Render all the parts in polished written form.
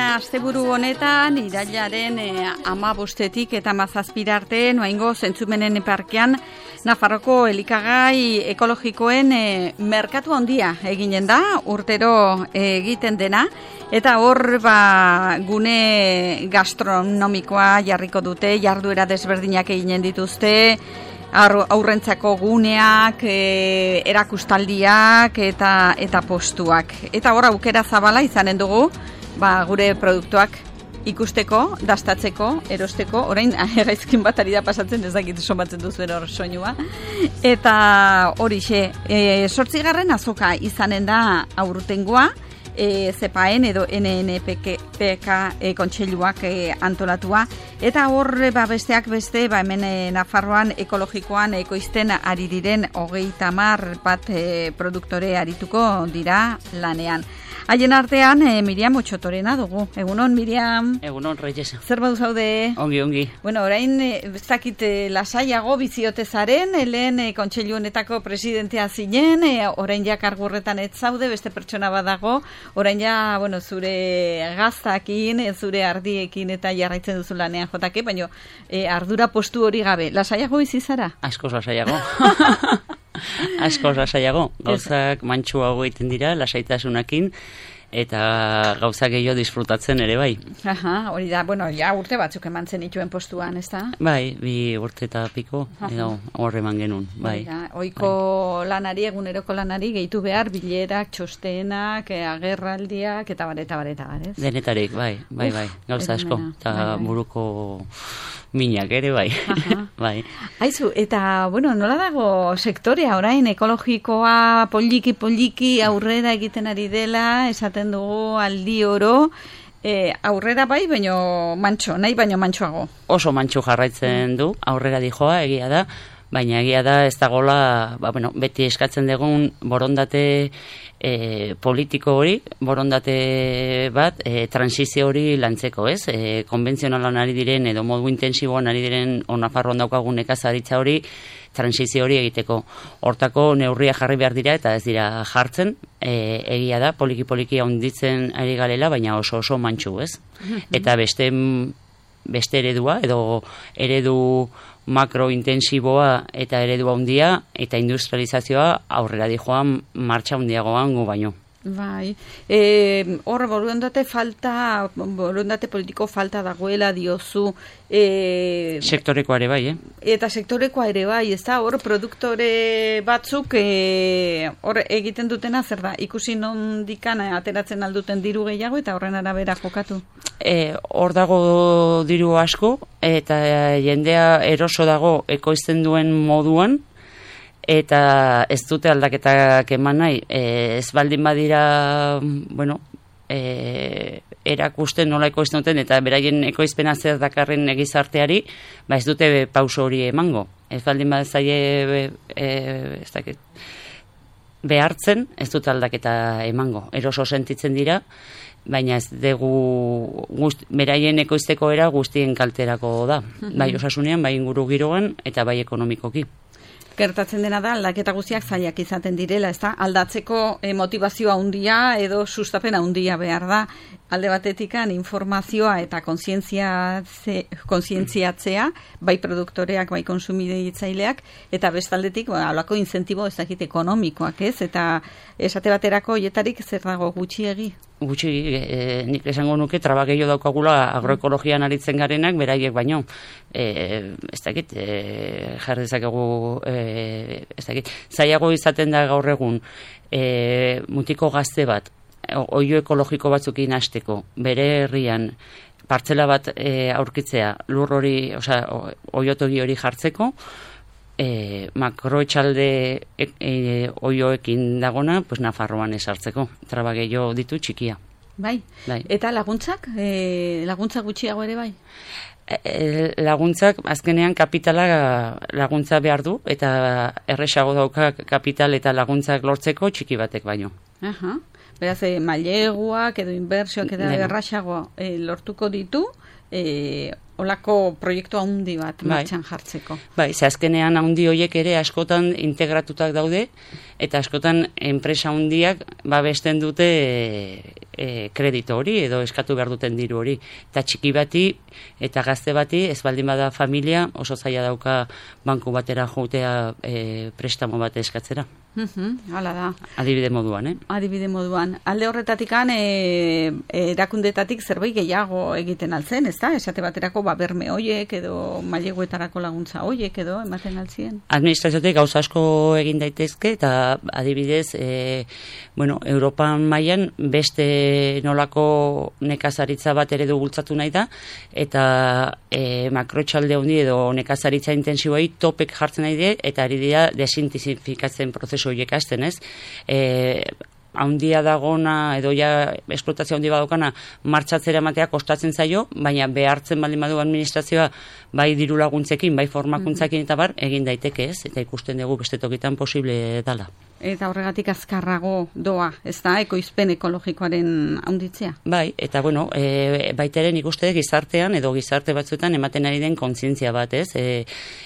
asteburu honetan, irailaren 15 eta 17 arte, noaingo Zentzumenen parkean, Nafarroko elikagai ekologikoen merkatu handia eginen da, urtero egiten dena, eta hor gune gastronomikoa jarriko dute, jarduera desberdinak eginen dituzte, aurrentzako guneak, erakustaldiak eta postuak. Eta hor aukera zabala izanen dugu, gure produktuak ikusteko, dastatzeko, erosteko, orain gaizkin bat ari da pasatzen, ez dakit somatzen duzuen hor soinua. Eta horixe, 8. azoka izanen da aurtengoa, ZEPAEN edo NNPK kontseiluak antolatua, eta hor besteak beste, hemen Nafarroan ekologikoan ekoizten ari diren 30 bat produktore arituko dira lanean. Haien artean, Miriam Otxotorena dugu. Egunon, Miriam. Egunon, Reyes. Zer badu zaude? Ongi. Bueno, orain, ez dakit lasaiago biziotezaren, lehen kontseilu honetako presidentea zinen, orain ja kargurretan ez zaude, beste pertsona badago, orain ja, zure gaztakin, zure ardiekin eta jarraitzen duzu lanean jotake, baina ardura postu hori gabe. Lasaiago bizi zara? Askoz lasaiago. Askoz lasaiago. Gauzak mantxuago egiten dira, lasaitasunakin, eta gauzak gehiago disfrutatzen ere bai. Aha, hori da, ja urte batzuk eman zen ituen postuan, ez da? Bai, 2 urte eta piko, edo horre eman genuen, bai. Oiko lanari, eguneroko lanari, gehitu behar, bilerak, txostenak, agerraldiak, eta bareta, ez? Denetarik, bai, gauza asko, eta buruko minak ere, bai. Bai. Aizu, eta, nola dago sektorea orain ekologikoa poliki aurrera egiten ari dela, esaten dugu aldi oro, aurrera bai, baino mantxoago. Oso mantxu jarraitzen du, aurrera dijoa, egia da, baina egia da ez dagoela, beti eskatzen dugun borondate politiko hori, borondate bat, transizio hori lantzeko, ez? Konbentzionalan ari diren, edo modu intensiboan ari diren, Nafarroan daukagun nekazaritza hori, transizio hori egiteko. Hortako neurria jarri behar dira, eta ez dira jartzen, egia da, poliki handitzen ari galela, baina oso mantxu, ez? Eta beste eredua, edo eredu makrointensiboa eta eredu handia eta industrializazioa aurrera dijoan martxa handiagoan gu baino. Bai, hor borondate politiko falta dagoela diozu. Sektorekoa ere bai, Eta sektorekoa ere bai, ez da, hor produktore batzuk hor egiten dutena zer da, ikusi nondikan ateratzen alduten diru gehiago eta horren arabera jokatu? Hor dago diru asko eta jendea eroso dago ekoizten duen moduan, eta ez dute aldaketak eman nahi, ez baldin badira, erakusten nola ekoizten duten, eta beraien ekoizpena zer dakarren egizarteari, ez dute pauso hori emango. Ez baldin bazaie behartzen, ez dute aldaketa emango. Eroso sentitzen dira, baina ez dugu beraien ekoizteko era guztien kalterako da. Bai osasunean, bai inguru giroan, eta bai ekonomikoki. Gertatzen dena da, aldaketa guztiak zailak izaten direla, ez da? Aldatzeko motivazioa handia edo sustapena handia behar da. Alde batetikan informazioa eta kontzientziatzea, bai produktoreak, bai konsumitzaileak, eta bestaldetik, halako incentibo ez dakit ekonomikoak, ez? Eta esate baterako hietarik zer dago gutxiegi? Nik esango nuke traba gehiago daukagula agroekologian aritzen garenak, beraiek baino. Ez dakit, jarri dezakegu, zailago izaten da gaur egun, mutiko gazte bat, oio ekologiko batzukin hasteko, bere herrian partzela bat aurkitzea, lur hori, oiotogi hori jartzeko, makroetxalde oioekin dagona, Nafarroan esartzeko, traba gehiago ditu txikia. Bai. Eta laguntzak? Laguntza gutxiago ere bai? Laguntzak, azkenean kapitala laguntza behar du, eta erresago dauka kapital eta laguntzak lortzeko txiki batek baino. Beraz, maileguak edo inbertsioak eta errasago lortuko ditu, olako proiektu handi bat martxan jartzeko. Bai, ze azkenean handi horiek ere askotan integratutak daude, eta askotan enpresa handiak babesten dute kredito hori, edo eskatu behar duten diru hori. Eta txiki bati eta gazte bati, ez baldin bada familia, oso zaila dauka banku batera joatea prestamo bat eskatzera. Hala da. Adibide moduan, Adibide moduan. Alde horretatik erakundetatik zerbait gehiago egiten altzen, ez da? Esate baterako berme hoiek edo maileguetarako laguntza hoiek edo ematen altzien? Administraziotik gauza asko egin daitezke, eta adibidez, Europan mailan beste nolako nekazaritza bat ere bultzatu nahi da, eta makrotxalde handi edo nekazaritza intensiboei topek jartzen nahi die, eta ari dira desintensifikatzen prozesu horiek hasten, ez? Haundia dagona, edo ja esplotazio handi badokana, martxatzera ematea kostatzen zaio, baina behartzen baldin badu administrazioa bai diru laguntzekin, bai formakuntzakin eta egin daiteke, ez? Eta ikusten dugu beste tokitan posible dala. Eta horregatik azkarrago doa, ez da, ekoizpen ekologikoaren handitzea? Bai, eta baitaren ikuste gizartean edo gizarte batzuetan ematen ari den kontzientzia bat, ez?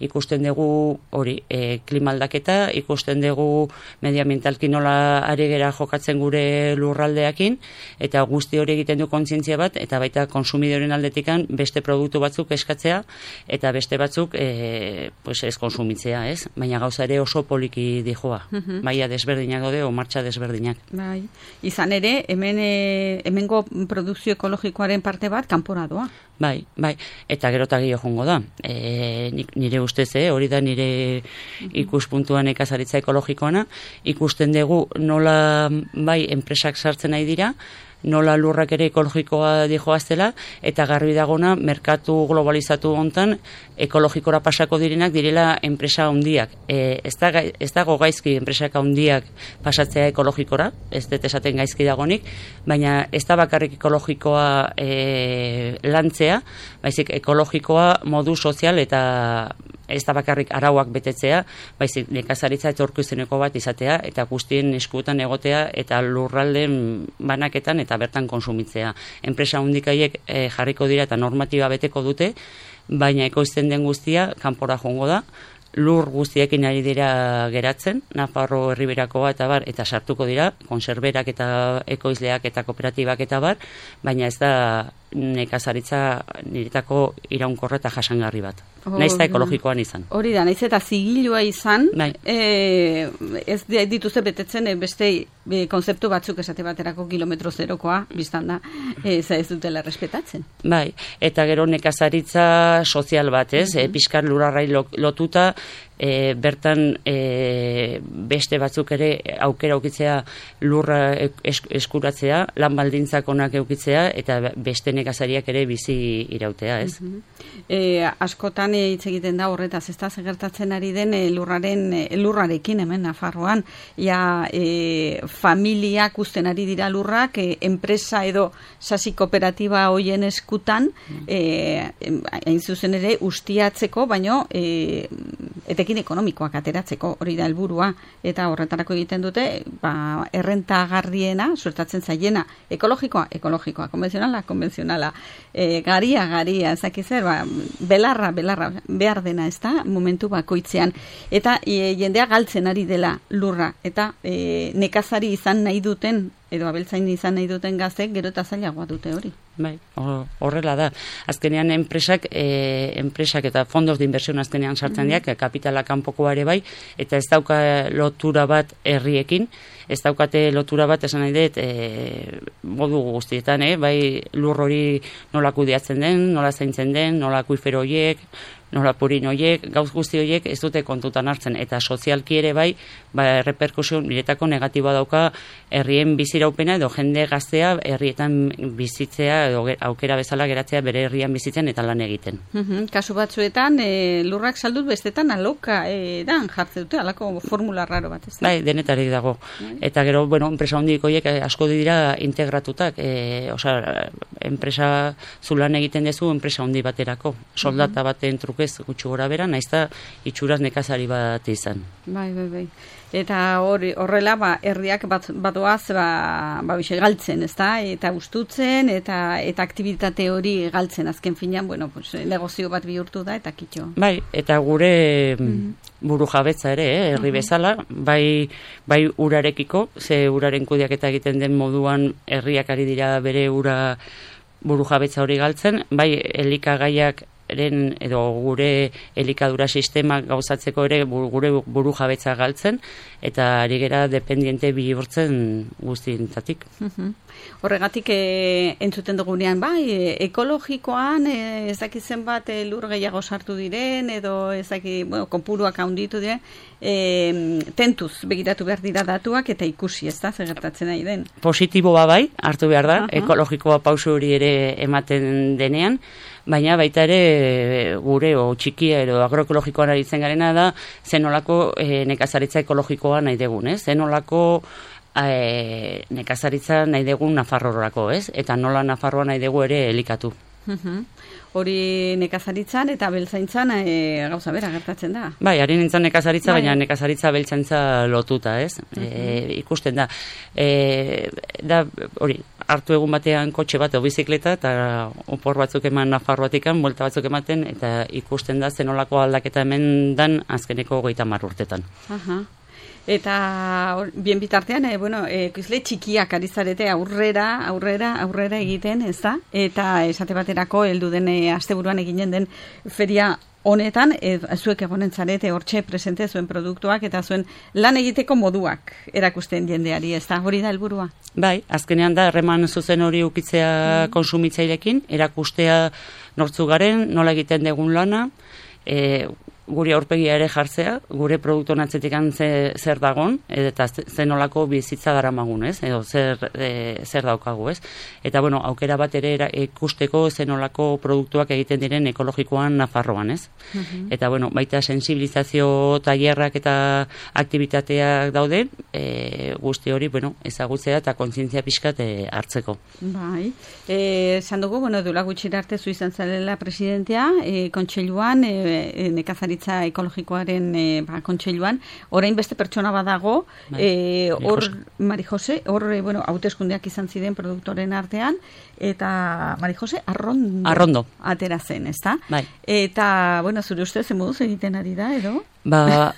Ikusten dugu hori, klima aldaketa, ikusten dugu medioambientalki nola ari gera jokatzen gure lurraldeakin, eta guzti hori egiten du kontzientzia bat, eta baita konsumidoren aldetikan beste produktu batzuk eskatzea, eta beste batzuk ez konsumitzea, ez? Baina gauza ere oso poliki dijoa. Maia desberdinak daude o martxa desberdinak. Bai. Izan ere, hemengo produkzio ekologikoaren parte bat kanpora doa. Bai. Eta gero eta gehiago jongo da. Nire ustez, hori da nire ikuspuntuan nekazaritza ekologikoana, ikusten dugu nola bai enpresak sartzen nahi dira, nola lurrak ere ekologikoa dijoaztela, eta garbi dagona merkatu globalizatu hontan ekologikora pasako direnak direla enpresa handiak. Ez dago gaizki enpresak handiak pasatzea ekologikora, ez dut esaten gaizki dagonik, baina ez da bakarrik ekologikoa lantzea, baizik ekologikoa modu sozial eta ez da bakarrik arauak betetzea, baizik nekazaritza etorkizuneko bat izatea, eta guztien eskuetan egotea, eta lurralden banaketan eta bertan konsumitzea. Enpresa handikaiek jarriko dira eta normatiba beteko dute, baina ekoizten den guztia kanpora joango da, lur guztiekin ari dira geratzen, Nafarro Herriberakoa eta sartuko dira, konserberak eta ekoizleak eta kooperatibak eta baina ez da nekazaritza niretako iraunkorra eta jasangarri bat. Naiz eta ekologikoan izan. Hori da, naiz eta zigilua izan, ez dituzte betetzen beste konzeptu batzuk esate baterako kilometro zerokoa, biztan da, ez dutela respetatzen. Bai, eta gero nekazaritza sozial bat, ez? Pixkar lurarrai lotuta, bertan beste batzuk ere aukera aukitzea lurra eskuratzea, lan baldintzak onak eukitzea, eta beste nekazariak ere bizi irautea, ez? Askotan hitz egiten da horretaz, ez da gertatzen ari den lurrarekin hemen Nafarroan, familiak uzten ari dira lurrak, enpresa edo sasi kooperatiba hoien eskutan, hain zuzen ere ustiatzeko, baino etekin ekonomikoak ateratzeko, hori da helburua, eta horretarako egiten dute, errentagarriena, suertatzen zaiena, ekologikoa, konbentzionala, garia, ezakizer, belarra, behar dena, ez da, momentu bakoitzean, eta jendea galtzen ari dela lurra, eta nekazari izan nahi duten, edo abeltzain izan nahi duten gaztek, gero eta zailagoa dute hori. Bai, horrela da. Azkenean enpresak eta fondos de inversión azkenean sartzen diak, kapitala kanpokoa ere bai, eta ez dauka lotura bat herriekin, ez daukate lotura bat esan nahi dut modu guztietan, bai lur hori nola kudeatzen den, nola zaintzen den, nola akuifero horiek, nola purin horiek, gauz guzti horiek ez dute kontutan hartzen, eta sozialki ere bai, reperkusio niretako negatiboa dauka herrien biziraupena edo jende gaztea herrietan bizitzea edo aukera bezala geratzea bere herrian bizitzen eta lan egiten. Kasu batzuetan lurrak saldut bestetan aloka jartze dute, alako formula raro bat, ez da? Bai, denetarik dago. Eta gero, enpresa hondik horiek asko dira integratutak, enpresa zulan egiten dezu enpresa hondi baterako, soldata baten truke ez gutxi gora bera, naizta itxuraz nekazari bat izan. Bai. Eta horrela, herriak badoaz, bixe galtzen, ezta? Eta ustutzen, eta aktivitate hori galtzen, azken finean, negozio bat bihurtu da, eta kitxo. Bai, eta gure buru jabetza ere, herri bezala, bai urarekiko, ze uraren kudeaketa egiten den moduan herriak ari dira bere ura buru jabetza hori galtzen, bai elikagaiak edo gure elikadura sistema gauzatzeko ere gure buru jabetza galtzen, eta ari gera dependiente bihurtzen guztientatik. Horregatik entzuten dugunean, ekologikoan ez daki zenbat lur gehiago sartu diren, edo ez daki, konpuruak handitu diren, tentuz begiratu behar dira datuak eta ikusi, ez da, zer gertatzen nahi den. Positiboa bai, hartu behar da, ekologikoa pausu hori ere ematen denean, baina baita ere gure txikia edo agroekologikoan aritzen garena da zenolako nekazaritza ekologikoa nahi degun, ez? Zenolako nekazaritza nahi degun Nafarroarako, ez? Eta nola Nafarroa nahi dugu ere elikatu. Hori nekazaritzan eta beltzaintzan gauza bera gertatzen da. Bai, ari nintzen nekazaritza, baina nekazaritza beltzaintza lotuta, ez? Ikusten da. Da, hori, hartu egun batean kotxe bat o bizikleta eta opor batzuk eman Nafarroatikan, buelta batzuk ematen, eta ikusten da zenolako aldaketa hemen dan azkeneko 30 urtetan. Eta bien bitartean, ekoizle txikiak ari zarete aurrera egiten, ez da? Eta esate baterako heldu den asteburuan eginen den feria honetan, zuek egonen zarete hortxe presente zuen produktuak eta zuen lan egiteko moduak erakusten jendeari, ez da? Hori da helburua? Bai, azkenean da harreman zuzen hori ukitzea konsumitzailekin, erakustea nortzu garen, nola egiten dugun lana, gure aurpegia ere jartzea, gure produktu atzetik zer dagon, eta zenolako bizitza daramagun, ez? Edo zer daukagu, ez? Eta, aukera bat ere ikusteko zenolako produktuak egiten diren ekologikoan Nafarroan, ez? Eta, baita sensibilizazio tailerrak eta aktivitateak daude, guzti hori, ezagutzea eta kontzientzia pixkat hartzeko. Bai. Esan dugu, duela gutxira arte zu izan zalela presidentea, kontseiluan, nekazaritza ekologikoaren kontseiluan, orain beste pertsona badago, Mari Jose, hauteskundeak izan ziren produktoren artean, eta Mari Jose Arrondo atera zen, ez da? Bai. Eta, zure ustez, moduz egiten ari da, edo?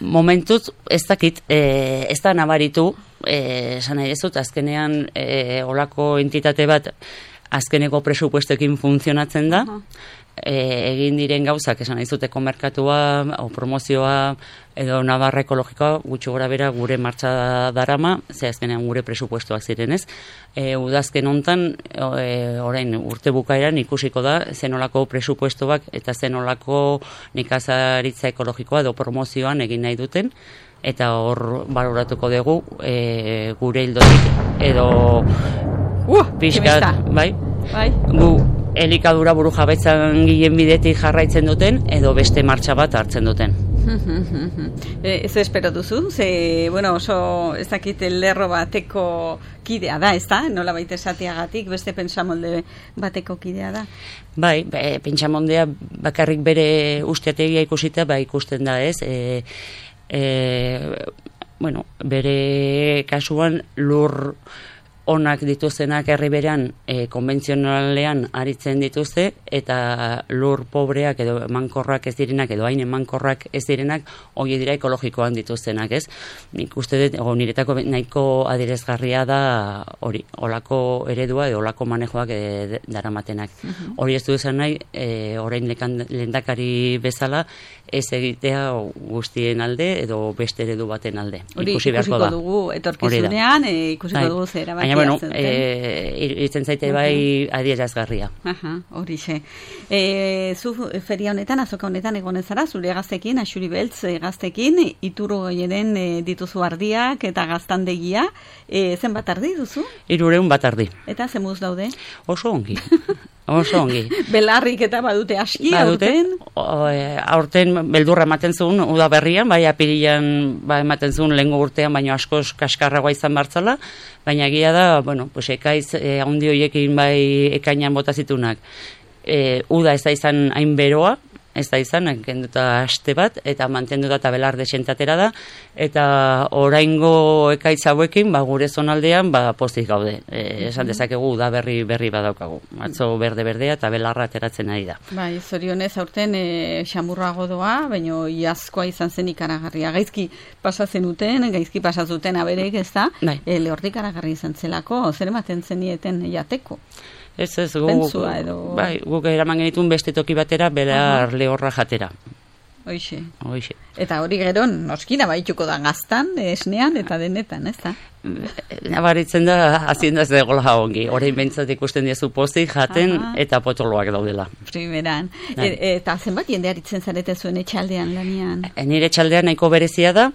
Momentuz, ez dakit, ez da nabaritu, esan nahi ez dut, azkenean olako entitate bat azkeneko presupuestoekin funtzionatzen da, egin diren gauzak, esan izuteko merkatua, o promozioa, edo Navarra ekologikoa, gutxi gora bera gure martxa darama, ze azkenean gure presupuestoak zirenez. Udazken hontan, orain urte bukaeran ikusiko da, zenolako presupuestoak eta zenolako nekazaritza ekologikoa edo promozioan egin nahi duten, eta hor baloratuko dugu gure hildotik edo pixkat, bai? Gu elikadura buru jabetzan gilen bidetik jarraitzen duten, edo beste martxa bat hartzen duten. Ez espero duzu? Ze, oso ez dakit lerro bateko kidea da, ez da? Nola baita esateagatik, beste pentsamolde bateko kidea da? Bai, pentsamoldea bakarrik bere usteategia ikusita, ikusten da, ez? Bere kasuan lur onak dituztenak herri berean konbentzionalean aritzen dituzte, eta lur pobreak edo emankorrak ez direnak, edo hain emankorrak ez direnak, hori dira ekologikoan dituztenak, ez? Nik uste dut, niretako nahiko adierazgarria da hori, olako eredua edo olako manejoak daramatenak. Hori ez du esan nahi, orain lehendakari bezala, ez egitea guztien alde edo beste eredu baten alde. Hori ikusiko dugu etorkizunean, ikusiko dugu zera bat. Itzen zaite bai adierazgarria. Horixe. Zu feria honetan, azoka honetan egonen zara, zure gaztekin, Axuri Beltz gaztekin, Iturro goienen dituzu ardiak eta gaztandegia. Zenbat ardi duzu? 300 bat ardi. Eta zemuz daude? Oso ongi. Oso ongi. Belarrik eta badute aski, aurten? Aurten beldurra ematen zuen, uda berrian, bai apirilan ematen zuen lehengo urtean, baina askoz kaskarragoa izan bartzala, baina egia da, ekaiz handi horiekin bai ekainan bota zitunak. Uda ez da izan hain beroa, ez da izan, kenduta aste bat, eta mantendu da eta belarde sentatera da, eta oraingo ekaitz hauekin, gure zonaldean, pozik gaude. Esan dezakegu da berri badaukagu. Atzo berde-berdea eta belarra ateratzen ari da. Bai, zorionez aurten xamurrago doa, baina iazkoa izan zen ikaragarria. Gaizki pasatzen pasazuten aberek, ez da? Lehortik ikaragarri izan zelako, zer ematen zenieten jateko? Ez, guk eraman genitun beste toki batera, belar lehorra jatera. Hoixe. Eta hori gero, noskina baituko da gaztan, esnean eta denetan, ez da? Nabaritzen da, hazienda ez dagoela ongi. Orain behintzat ikusten diezu pozik, jaten eta potoloak daudela. Primeran. Eta zenbat jende aritzen zarete zuen etxaldean lanian? Nire etxaldean nahiko berezia da.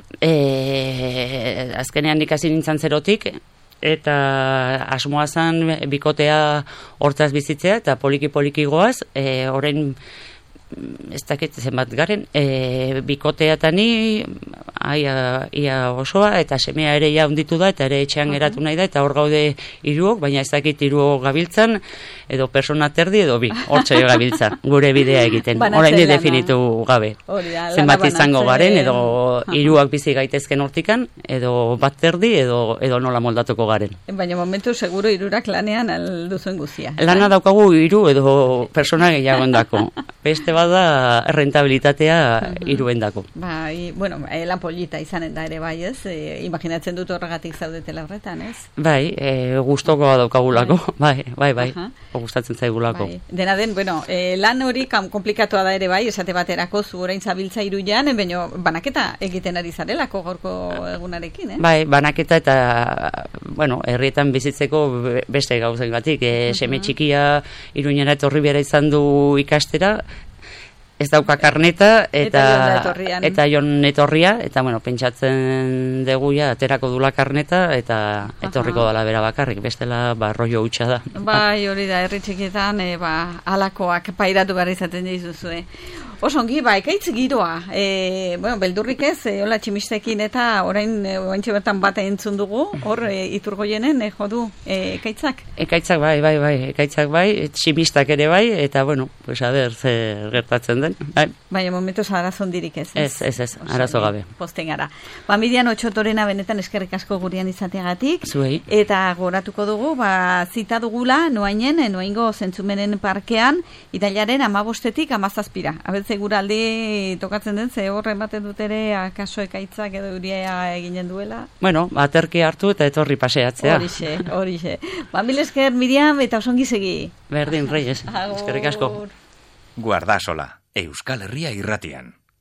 Azkenean ikasi nintzen zerotik, eta asmoa zen bikotea hortzaz bizitzea, eta poliki goaz, orain ez dakit zenbat garen, bikotea eta ni ia osoa, eta semea ere ja hunditu da, eta ere etxean geratu nahi da, eta hor gaude hiruok, baina ez dakit hiruok gabiltzan, edo persona terdi, edo bi, hortxe gabiltzan, gure bidea egiten, orain definitu gabe. Zenbat izango garen, edo hiruak bizi gaitezken hortikan, edo bat terdi, edo nola moldatuko garen. Baina momentu seguro hirurak lanean alduzuen guzia. Lana daukagu hiru edo persona gehiago endako. Beste bada rentabilitatea hiruendako. Bai, bueno, lan polita izanen da ere bai, ez? Imaginatzen dut horregatik zaudetela horretan, ez? Bai, gustokoa daukagulako, bai, gustatzen zaigulako. Dena den, bueno, lan hori komplikatoa da ere bai, esate baterako zu orain zabiltza Iruian, baina banaketa egiten ari zarelako gaurko egunarekin, eh? Bai, banaketa eta, bueno, herrietan bizitzeko beste gauzengatik, seme txikia Iruñera etorri behar izan du ikastera, ez dauka karneta eta jon etorria, eta bueno, pentsatzen deguia aterako dula karneta eta etorriko dela bera bakarrik, bestela rollo hutsa da. Bai, hori da, herri txikietan alakoak pairatu behar izaten dizuzue. Osongi, ekaitz giroa. Bueno, beldurrik ez, hola tximistekin eta orain ointxe bertan bat entzun dugu, hor Iturgoienen jodu ekaitzak? Ekaitzak bai, tximistak ere bai, eta bueno, pues a ber, zer gertatzen den. Baina momentuz arazo hondirik ez. Ez, arazo gabe. Posten gara. Miriam Otxotorena benetan eskerrik asko gurean izateagatik. Zuei. Eta goratuko dugu, zita dugula noaingo zentzumenen parkean, itailaren 15-tik 17-ra. Abeltze guraldi tokatzen den, ze horren baten dut ere akaso ekaitzak edo euria eginen duela. Bueno, aterki hartu eta etorri paseatzea. Horixe. Mil esker, Miriam, eta osongi segi. Berdin, Reyes. Eskerrik asko. Guardasola, Euskal Herria irratian.